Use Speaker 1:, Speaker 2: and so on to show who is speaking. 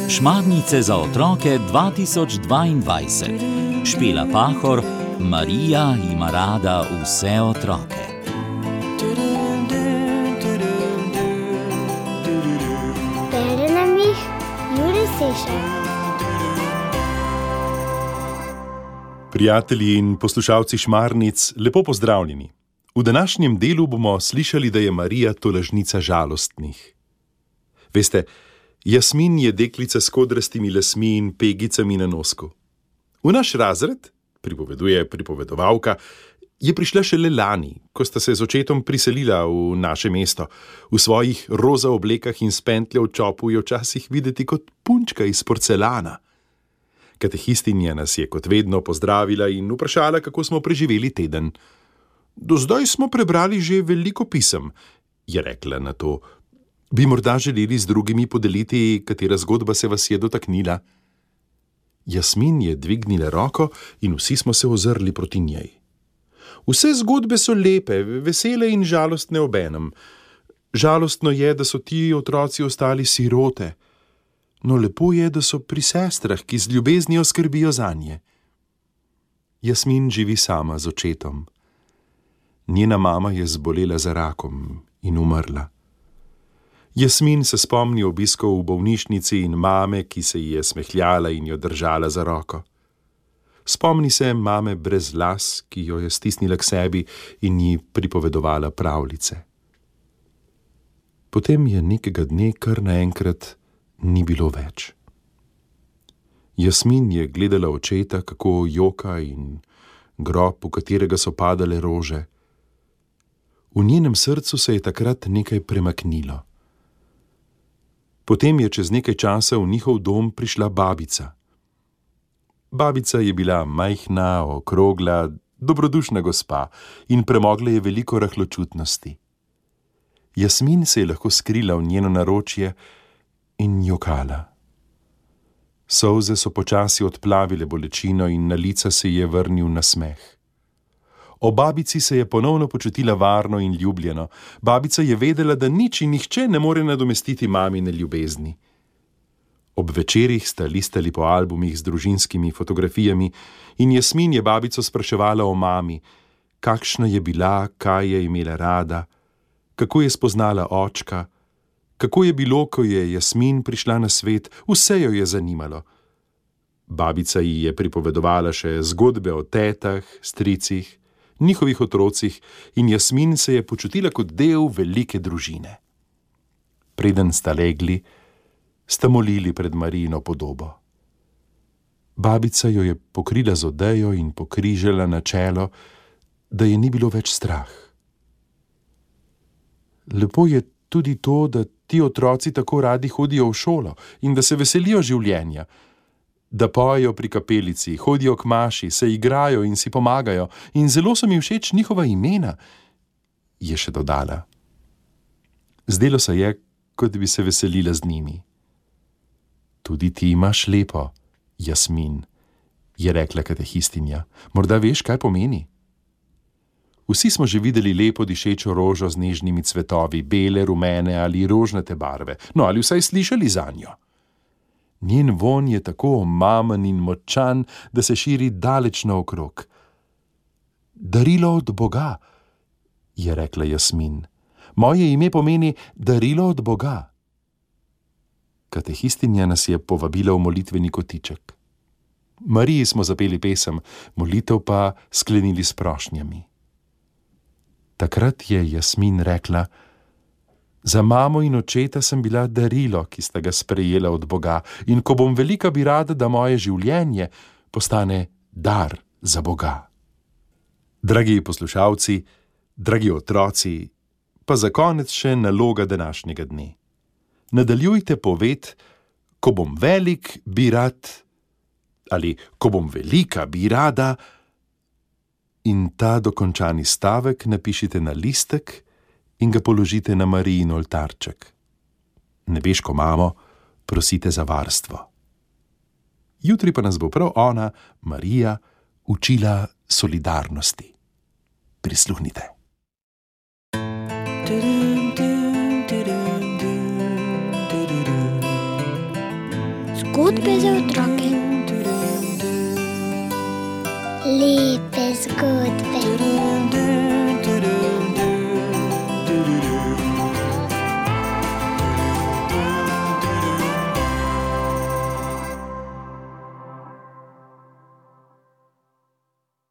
Speaker 1: Šmarnice za otroke 2022. Špela Pahor, Marija ima rada vse otroke.
Speaker 2: Bere nam jih Jure Sešar.
Speaker 3: Prijatelji in poslušalci Šmarnic, lepo pozdravljeni. V današnjem delu bomo slišali, da je Marija tolažnica žalostnih. Veste, Jasmin je deklica s kodrastimi lasmi in pegicami na nosku. V naš razred, pripoveduje pripovedovalka, je prišla šele lani, ko sta se z očetom priselila v naše mesto. V svojih roza oblekah in s pentljo v čopu je včasih videti kot punčka iz porcelana. Katehistinja nas je kot vedno pozdravila in vprašala, kako smo preživeli teden. Do zdaj smo prebrali že veliko pisem, je rekla na to. Bi morda želeli z drugimi podeliti, katera zgodba se vas je dotaknila? Jasmin je dvignila roko in vsi smo se ozrli proti njej. Vse zgodbe so lepe, vesele in žalostne obenem. Žalostno je, da so ti otroci ostali sirote, no lepo je, da so pri sestrah, ki z ljubeznijo skrbijo zanje. Jasmin živi sama z očetom. Njena mama je zbolela za rakom in umrla. Jasmin se spomni obiskov v bolnišnici in mame, ki se ji je smehljala in jo držala za roko. Spomni se mame brez las, ki jo je stisnila k sebi in ji pripovedovala pravljice. Potem je nekega dne kar naenkrat ni bilo več. Jasmin je gledala očeta, kako joka in grob, v katerega so padale rože. V njenem srcu se je takrat nekaj premaknilo. Potem je čez nekaj časa v njihov dom prišla babica. Babica je bila majhna, okrogla, dobrodušna gospa in premogla je veliko rahločutnosti. Jasmin se je lahko skrila v njeno naročje in jokala. Solze so počasi odplavile bolečino in na lica se je vrnil nasmeh. O babici se je ponovno počutila varno in ljubljeno. Babica je vedela, da nič in nihče ne more nadomestiti mamine ljubezni. Ob večerih sta listali po albumih z družinskimi fotografijami in Jasmin je babico spraševala o mami, kakšna je bila, kaj je imela rada, kako je spoznala očka, kako je bilo, ko je Jasmin prišla na svet, vse jo je zanimalo. Babica ji je pripovedovala še zgodbe o tetah, stricih, njihovih otrocih in Jasmin se je počutila kot del velike družine. Preden sta legli, sta molili pred Marijino podobo. Babica jo je pokrila z odejo in pokrižala na čelo, da je ni bilo več strah. Lepo je tudi to, da ti otroci tako radi hodijo v šolo in da se veselijo življenja, da pojejo pri kapelici, hodijo k maši, se igrajo in si pomagajo in zelo so mi všeč njihova imena, je še dodala. Zdelo se je, kot bi se veselila z njimi. Tudi ti imaš lepo, Jasmin, je rekla katehistinja. Morda veš, kaj pomeni? Vsi smo že videli lepo dišečo rožo z nežnimi cvetovi, bele, rumene ali rožnate barve, no ali vsaj slišali zanjo. Njen vonj je tako omamen in močan, da se širi daleč naokrog. Darilo od Boga, je rekla Jasmin. Moje ime pomeni darilo od Boga. Katehistinja nas je povabila v molitveni kotiček. Mariji smo zapeli pesem, molitev pa sklenili s prošnjami. Takrat je Jasmin rekla: za mamo in očeta sem bila darilo, ki sta ga sprejela od Boga, in ko bom velika, bi rada, da moje življenje postane dar za Boga. Dragi poslušalci, dragi otroci, pa za konec še naloga današnjega dne. Nadaljujte poved, ko bom velik, bi rad, ali ko bom velika, bi rada, in ta dokončani stavek napišite na listek in ga položite na Marijin oltarček. Nebeško mamo, prosite za varstvo. Jutri pa nas bo prav ona, Marija, učila solidarnosti. Prisluhnite.
Speaker 2: Zgodbe za otroke.